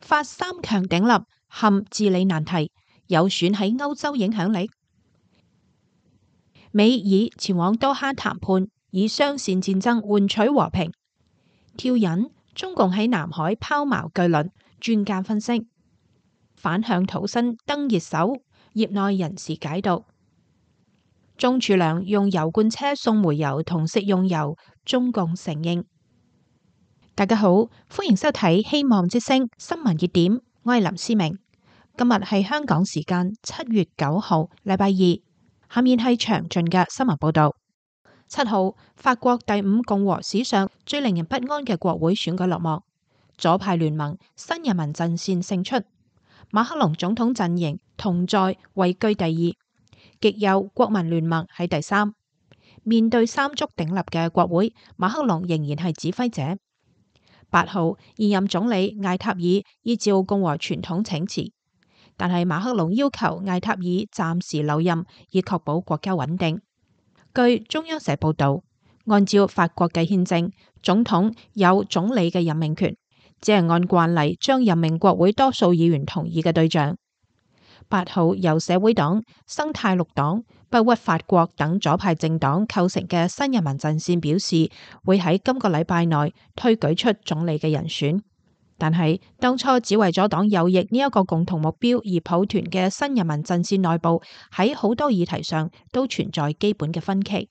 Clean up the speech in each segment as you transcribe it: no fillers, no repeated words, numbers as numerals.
法三強鼎立陷治理難題，有損喺歐洲影響力。美以前往多哈談判，以雙線戰爭換取和平。挑釁中共喺南海拋錨巨輪，專家分析反向土生登熱搜，業內人士解讀。鍾柱良用油罐車送煤油同食用油，中共承認。大家好，歡迎收睇希望之聲新聞熱點，我係林思明。今日係香港時間7月9號，禮拜二。下面係詳盡嘅新聞報道。7號，法國第5共和史上最令人不安嘅國會選舉落幕，左派聯盟新人民陣線勝出，馬克龍總統陣營同在位居第2，極右國民聯盟喺第3。面對三足鼎立嘅國會，馬克龍仍然係指揮者。8號，現任總理艾塔爾依照共和傳統請辭，但係馬克龍要求艾塔爾暫時留任，以確保國家穩定。據中央社報道，按照法國嘅憲政，總統有總理嘅任命權，只係按慣例將任命國會多數議員同意嘅對象。8號，由社會黨、生態綠黨、不屈法國等左派政黨構成嘅新人民陣線表示，會喺今個禮拜內推舉出總理嘅人選。但係當初只為咗黨右翼呢一個共同目標而抱團嘅新人民陣線內部，喺好多議題上都存在基本嘅分歧。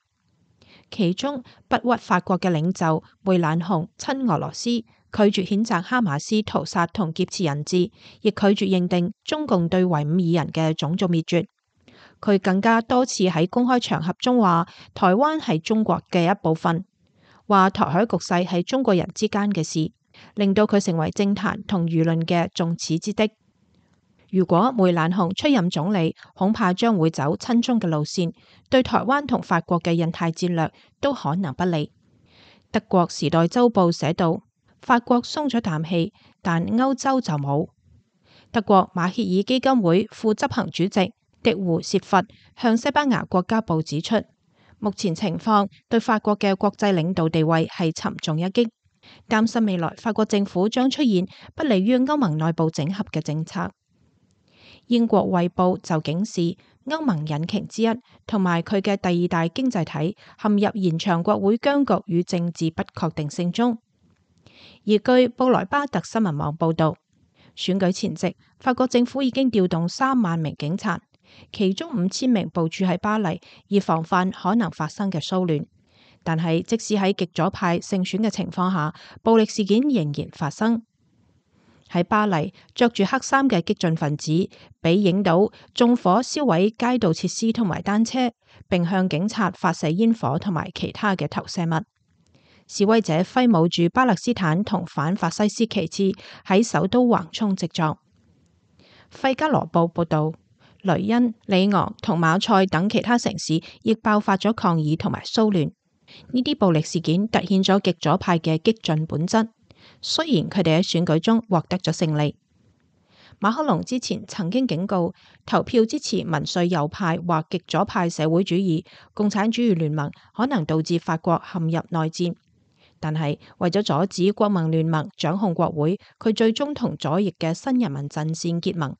其中不屈法國嘅領袖梅蘭雄親俄羅斯，拒絕譴責哈馬斯屠殺同劫持人質，亦拒絕認定中共對維吾爾人嘅種族滅絕。佢更加多次喺公開場合中話台灣係中國嘅一部分，話台海局勢係中國人之間嘅事，令到佢成為政壇同輿論嘅眾矢之的。如果梅蘭雄出任總理，恐怕將會走親中嘅路線，對台灣同法國嘅印太戰略都可能不利。德國時代週報寫道，法國鬆咗啖氣，但歐洲就冇。德國馬歇爾基金會副執行主席迪胡薛佛向西班牙國家報指出，目前情況對法國嘅國際領導地位係沉重一擊，擔心未來法國政府將出現不利於歐盟內部整合嘅政策。英國衛報就警示，歐盟引擎之一同埋佢嘅第2大經濟體陷入延長國會僵局與政治不確定性中。而據布萊巴特新聞網報道，選舉前夕，法國政府已經調動3萬名警察，其中5000名部署喺巴黎，以防範可能發生嘅騷亂。但係即使喺極左派勝選嘅情況下，暴力事件仍然發生。喺巴黎，着住黑衫嘅激進分子被影到縱火燒毀街道設施同埋單車，並向警察發射煙火同埋其他嘅投射物。示威者揮舞住巴勒斯坦同反法西斯旗幟，喺首都橫衝直撞。費加羅報報道，雷恩、里昂同馬賽等其他城市亦爆發咗抗議同埋騷亂。呢啲暴力事件凸顯咗極左派嘅激進本質。雖然佢哋喺選舉中獲得咗勝利，馬克龍之前曾經警告，投票支持民粹右派或極左派社會主義、共產主義聯盟可能導致法國陷入內戰。但係為咗阻止國民聯盟掌控國會，佢最終同左翼嘅新人民陣線結盟。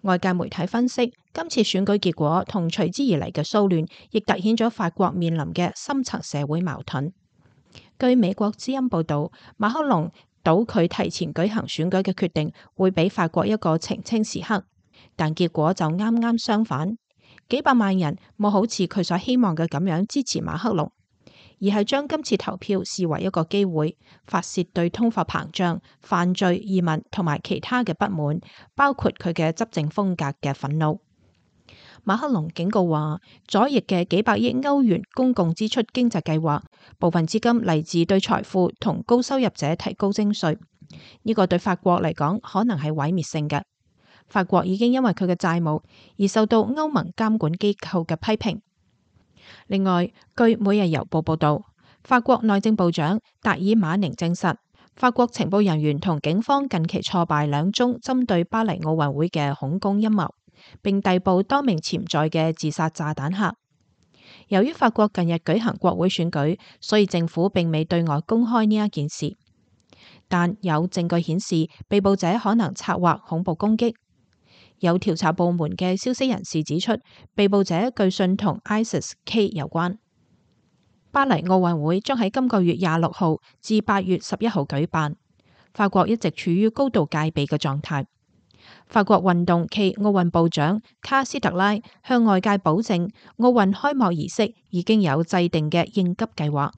外界媒體分析，今次選舉結果同隨之而嚟嘅騷亂，亦凸顯咗法國面臨嘅深層社會矛盾。據美國之音報道，馬克龍倒佢提前舉行選舉嘅決定，會俾法國一個澄清時刻，但結果就啱啱相反，幾百萬人冇好似佢所希望嘅咁樣支持馬克龍，而係將今次投票視為一個機會，發洩對通貨膨脹、犯罪、移民同埋其他嘅不滿，包括佢嘅執政風格嘅憤怒。馬克龍警告話，左翼嘅幾百億歐元公共支出經濟計劃，部分資金嚟自對財富同高收入者提高徵稅，呢個對法國嚟講可能係毀滅性嘅。法國已經因為佢嘅債務而受到歐盟監管機構嘅批評。另外，據每日郵報報道，法國內政部長達爾馬寧證實，法國情報人員同警方近期挫敗2宗針對巴黎奧運會嘅恐攻陰謀，並逮捕多名潛在嘅自殺炸彈客。由於法國近日舉行國會選舉，所以政府並未對外公開呢一件事。但有證據顯示被捕者可能策劃恐怖攻擊。有調查部門嘅消息人士指出，被捕者據信同 ISIS-K 有關。巴黎奧運會將喺今個月26號至8月11號舉辦。法國一直處於高度戒備嘅狀態。法國運動暨奧運部長卡斯特拉向外界保證，奧運開幕儀式已經有制定嘅應急計劃。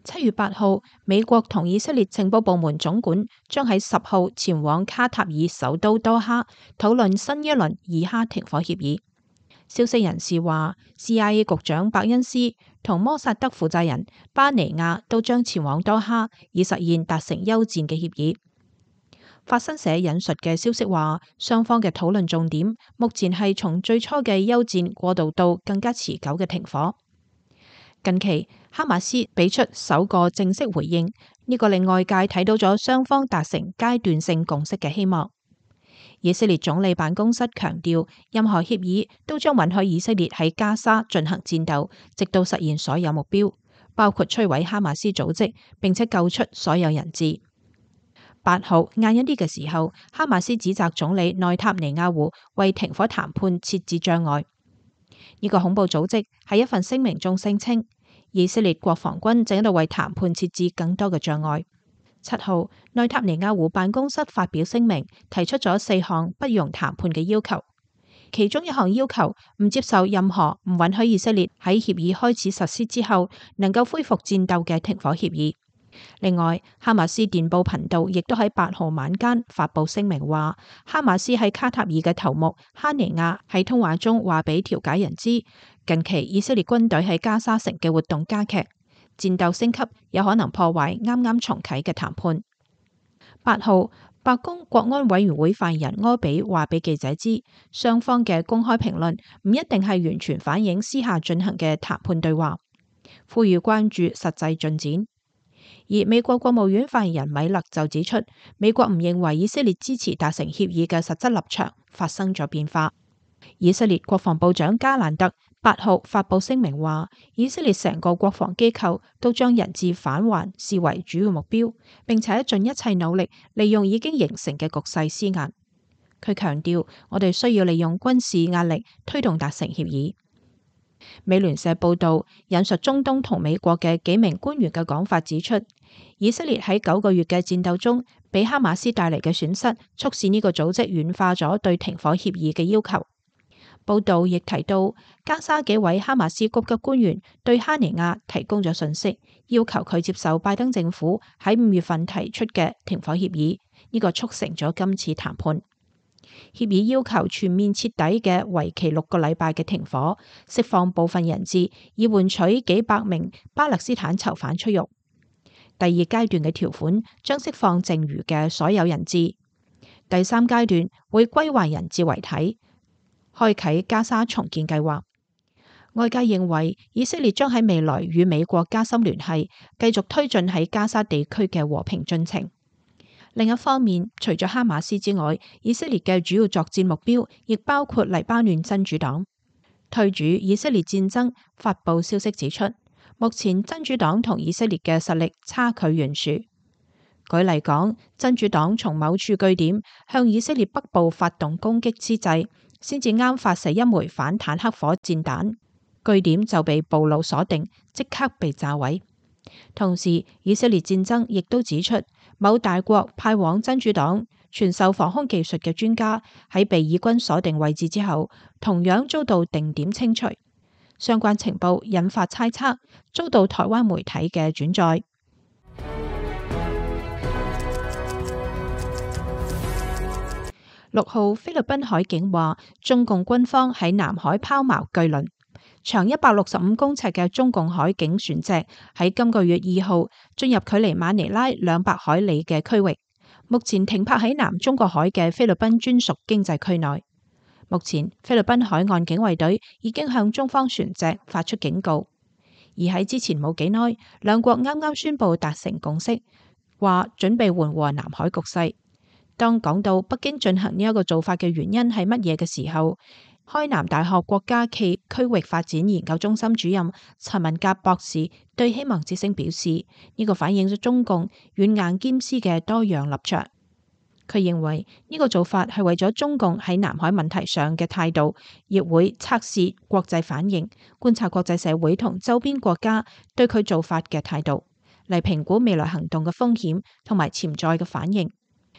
7月8號，美國同以色列情報部門總管將喺10號前往卡塔爾首都多哈討論新一輪以哈停火協議。消息人士話 ，CIA 局長伯恩斯同摩薩德負責人巴尼亞都將前往多哈，以實現達成休戰嘅協議。法新社引述嘅消息話，雙方嘅討論重點目前係從最初嘅休戰過渡到更加持久嘅停火。近期，哈馬斯俾出首個正式回應，呢個令外界睇到咗雙方達成階段性共識嘅希望。以色列總理辦公室強調，任何協議都將允許以色列喺加沙進行戰鬥，直到實現所有目標，包括摧毀哈馬斯組織，並且救出所有人質。8號晏一啲嘅時候，哈馬斯指責總理內塔尼亞胡為停火談判設置障礙。呢個恐怖組織喺一份聲明中聲稱，以色列國防軍正喺度為談判設置更多嘅障礙。7號，內塔尼亞胡辦公室發表聲明，提出咗4項不容談判嘅要求，其中一項要求唔接受任何唔允許以色列喺協議開始實施之後能夠恢復戰鬥嘅停火協議。另外，哈馬斯電報頻道亦都喺8號晚間發布聲明話，哈馬斯喺卡塔爾嘅頭目哈尼亞喺通話中話俾調解人知，近期以色列軍隊喺加沙城嘅活動加劇，戰鬥升級有可能破壞啱啱重啟嘅談判。8號，白宮國安委員會發言人柯比話俾記者知，雙方嘅公開評論唔一定係完全反映私下進行嘅談判對話，呼籲關注實際進展。而美國國務院發言人米勒就指出，美國唔認為以色列支持達成協議嘅實質立場發生咗變化。以色列國防部長加蘭特8號發布聲明話，以色列成個國防機構都將人質返還視為主要目標，並且盡一切努力利用已經形成嘅局勢施壓。佢強調，我哋需要利用軍事壓力推動達成協議。美聯社報道引述中東同美國嘅幾名官員嘅講法指出，以色列喺9個月嘅戰鬥中，俾哈馬斯帶嚟嘅損失，促使呢個組織軟化咗對停火協議嘅要求。報道亦提到，加沙幾位哈馬斯高級官員對哈尼亞提供咗信息，要求佢接受拜登政府喺5月份提出嘅停火協議，呢個促成咗今次談判。協議要求全面徹底嘅為期6個禮拜嘅停火，釋放部分人質，以換取幾百名巴勒斯坦囚犯出獄。第2階段嘅條款將釋放剩餘嘅所有人質。第3階段會歸還人質遺體，開啟加沙重建計劃。外界認為以色列將喺未來與美國加深聯繫，繼續推進喺加沙地區嘅和平進程。另一方面，除咗哈馬斯之外，以色列嘅主要作戰目標亦包括黎巴嫩真主黨。推主以色列戰爭發布消息指出，目前真主黨同以色列嘅實力差距懸殊。舉例講，真主黨從某處據點向以色列北部發動攻擊之際，先至啱發射一枚反坦克火箭彈，據點就被暴露鎖定，即刻被炸毀。同時，以色列戰爭亦都指出，某大國派往真主黨傳授防空技術嘅專家喺被以軍鎖定位置之後，同樣遭到定點清除。相關情報引發猜測，遭到台灣媒體嘅轉載。6號，菲律賓海警話，中共軍方喺南海拋錨巨輪。長165公尺嘅中共海警船隻喺今個月2號進入距離馬尼拉200海里嘅區域，目前停泊喺南中國海嘅菲律賓專屬經濟區內。目前菲律賓海岸警衛隊已經向中方船隻發出警告，而喺之前冇幾耐，兩國啱啱宣布達成共識，話準備緩和南海局勢。當講到北京進行呢一個做法嘅原因係乜嘢嘅時候，開南大學國家暨區域發展研究中心主任陳文甲博士對希望之聲表示，呢個反映咗中共軟硬兼施嘅多樣立場。佢認為呢個做法係為咗中共喺南海問題上嘅態度，亦會測試國際反應，觀察國際社會同周邊國家對佢做法嘅態度，嚟評估未來行動嘅風險同埋潛在嘅反應。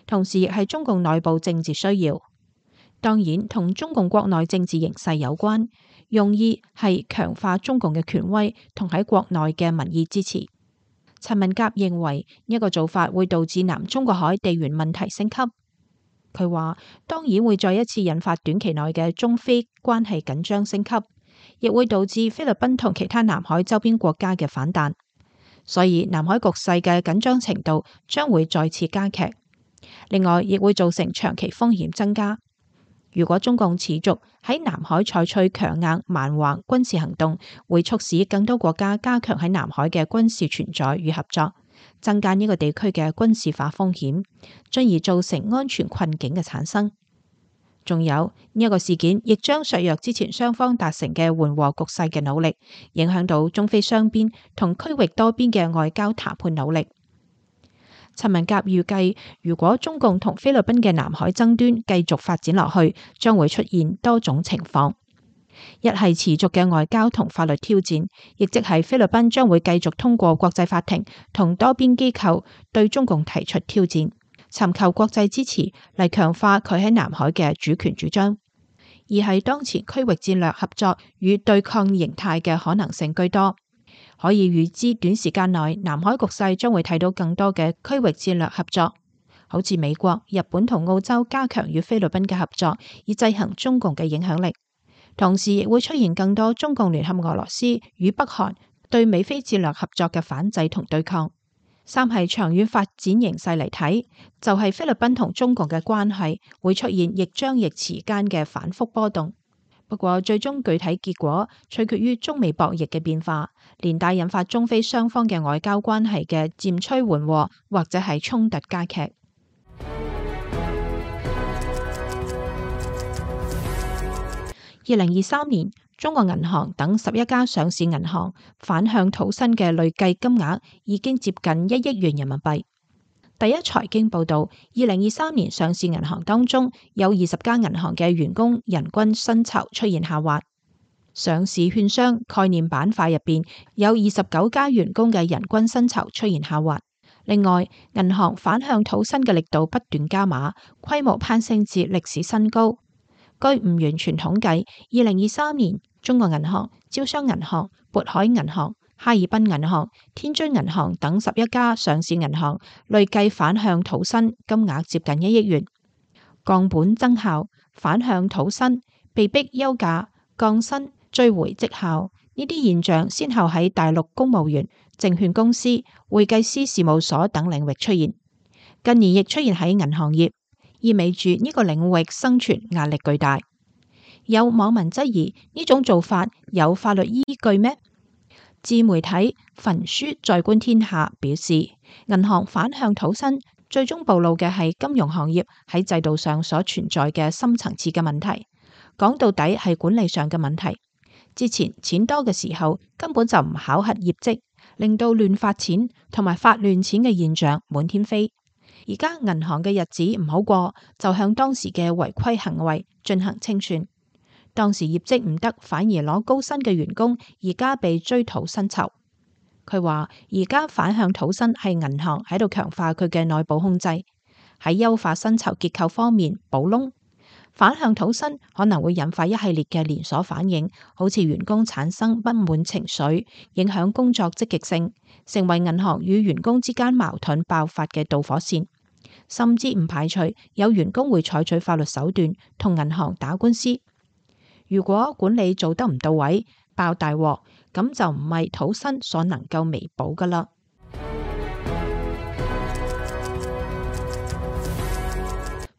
同時亦係中共內部政治需要，當然同中共國內政治形勢有關，用意係強化中共嘅權威同喺國內嘅民意支持。陳文甲認為呢個做法會導致南中國海地緣問題升級。佢話當然會再一次引發短期內嘅中菲關係緊張升級，亦會導致菲律賓同其他南海周邊國家嘅反彈，所以南海局勢嘅緊張程度將會再次加劇。另外，亦會造成長期風險增加。如果中共持續喺南海採取強硬蠻橫軍事行動，會促使更多國家加強喺南海嘅軍事存在與合作，增加呢個地區嘅軍事化風險，進而造成安全困境嘅產生。仲有呢個事件亦將削弱之前雙方達成嘅緩和局勢嘅努力，影響到中菲雙邊同區域多邊嘅外交談判努力。陳文甲預計，如果中共同菲律賓嘅南海爭端繼續發展落去，將會出現多種情況。一係持續嘅外交同法律挑戰，亦即係菲律賓將會繼續通過國際法庭同多邊機構對中共提出挑戰，尋求國際支持嚟強化佢喺南海嘅主權主張。二係當前區域戰略合作與對抗形態嘅可能性居多。可以預知短時間內南海局勢將會睇到更多嘅區域戰略合作，好似美國、日本同澳洲加強與菲律賓嘅合作，以制衡中共嘅影響力。同時亦會出現更多中共聯合俄羅斯與北韓對美菲戰略合作嘅反制同對抗。三係長遠發展形勢嚟睇，就係菲律賓同中共嘅關係會出現亦張亦弛間嘅反覆波動。不過最終具體結果取決於中美博弈嘅變化，連帶引發中菲雙方嘅外交關係嘅漸趨緩和，或者係衝突加劇。2023年，中國銀行等11家上市銀行反向土生嘅累計金額已經接近1億元人民幣。第一財經報道，2023年上市銀行當中有20家銀行嘅員工人均薪酬出現下滑。上市券商概念板塊入邊有29家員工嘅人均薪酬出現下滑。另外，銀行反向土生嘅力度不斷加碼，規模攀升至歷史新高。據唔完全統計，2023年中國銀行、招商銀行、渤海銀行、哈爾濱銀行、天津銀行等11家上市銀行累計反向土生金額接近1億元。降本增效、反向土生、被逼休假、降薪、追回績效呢啲現象，先後喺大陸公務員、證券公司、會計師事務所等領域出現，近年亦出現喺銀行業，意味住呢個領域生存壓力巨大。有網民質疑呢種做法有法律依據咩？自媒體焚書再觀天下表示，銀行反向土生最終暴露嘅係金融行業喺制度上所存在嘅深層次嘅問題，講到底係管理上嘅問題。之前錢多嘅時候根本就唔考核業績，令到亂發錢同埋發亂錢嘅現象滿天飛。而家銀行嘅日子唔好過，就向當時嘅違規行為進行清算。當時業績唔得，反而攞高薪嘅員工，而家被追討薪酬。佢話而家反向土生係銀行喺度強化佢嘅內部控制，喺優化薪酬結構方面補窿。反向土生可能會引發一系列嘅連鎖反應，好似員工產生不滿情緒，影響工作積極性，成為銀行與員工之間矛盾爆發嘅導火線。甚至唔排除有員工會採取法律手段同銀行打官司。如果管理做得唔到位，爆大鑊，咁就唔係土生所能夠彌補㗎喇。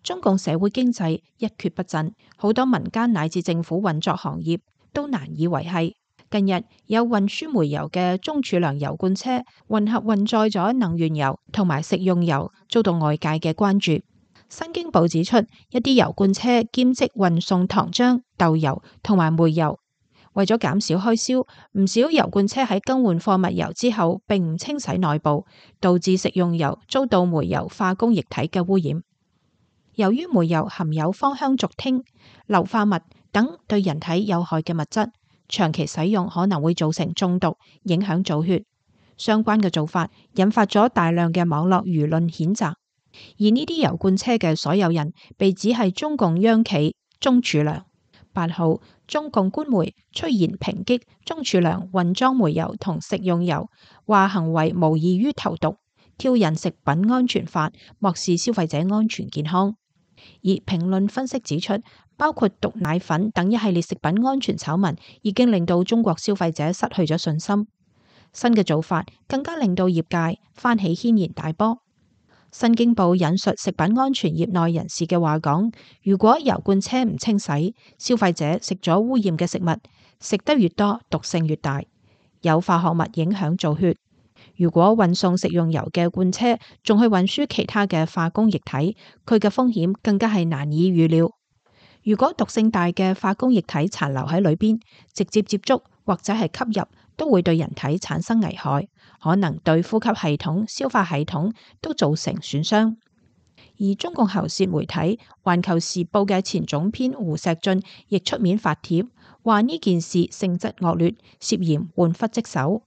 中共社會經濟一蹶不振，好多民間乃至政府運作行業都難以維繫。近日有運輸煤油嘅中儲糧油罐車混合運載咗能源油同埋食用油，遭到外界嘅關注。新京報指出，一啲油罐車兼職運送糖漿、豆油同埋煤油，為咗減少開銷，唔少油罐車喺更換貨物油之後，並唔清洗內部，導致食用油遭到煤油化工液體嘅污染。由於煤油含有芳香族烴、硫化物等對人體有害嘅物質，長期使用可能會造成中毒，影響造血。相關嘅做法引發咗大量嘅網絡輿論譴責。而呢啲油罐車嘅所有人被指係中共央企鍾柱良。8號，中共官媒出言抨擊鍾柱良混裝煤油同食用油，話行為無異於投毒，挑釁食品安全法，漠視消費者安全健康。而評論分析指出，包括毒奶粉等一系列食品安全醜聞，已經令到中國消費者失去咗信心。新嘅做法更加令到業界翻起軒然大波。新京報引述食品安全業內人士嘅話講，如果油罐車唔清洗，消費者食咗污染嘅食物，食得越多，毒性越大，有化學物影響造血。如果運送食用油嘅罐車仲去運輸其他嘅化工液體，佢嘅風險更加係難以預料。如果毒性大嘅化工液體殘留喺裏邊，直接接觸或者係吸入，都會對人體產生危害，可能對呼吸系統、消化系統都造成損傷。而中共喉舌媒體《環球時報》嘅前總編胡錫進亦出面發帖，話呢件事性質惡劣，涉嫌玩忽職守，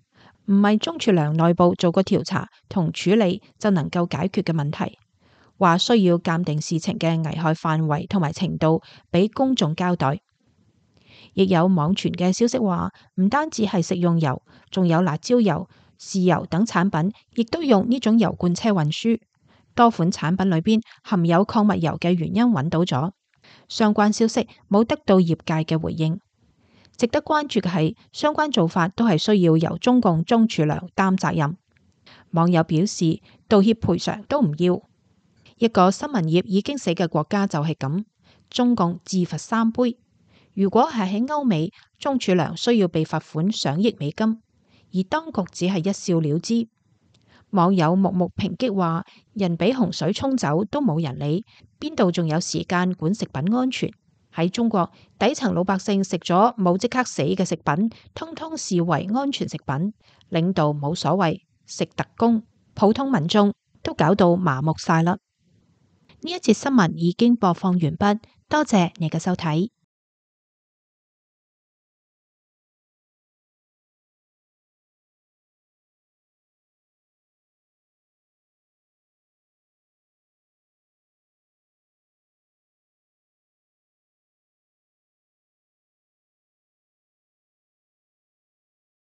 唔係鍾柱良內部做過調查同處理就能夠解決嘅問題。話需要鑑定事情嘅危害範圍同埋程度，俾公眾交代。亦有網傳嘅消息話，唔單止係食用油，仲有辣椒油、豉油等產品，亦都用呢種油罐車運輸。多款產品裏邊含有礦物油嘅原因揾到咗，相關消息冇得到業界嘅回應。值得關注嘅係，相關做法都係需要由中共鍾柱良擔責任。網友表示，道歉賠償都唔要。一個新聞業已經死嘅國家就係咁，中共自罰3杯。如果係喺歐美，鍾柱良需要被罰款上億美金，而當局只係一笑了之。網友木木抨擊話，人俾洪水沖走都冇人理，邊度仲有時間管食品安全？喺中國，底層老百姓食咗冇即刻死嘅食品，通通視為安全食品。領導冇所謂，食特供，普通民眾都搞到麻木晒啦。呢一節新聞已經播放完畢，多謝你嘅收睇。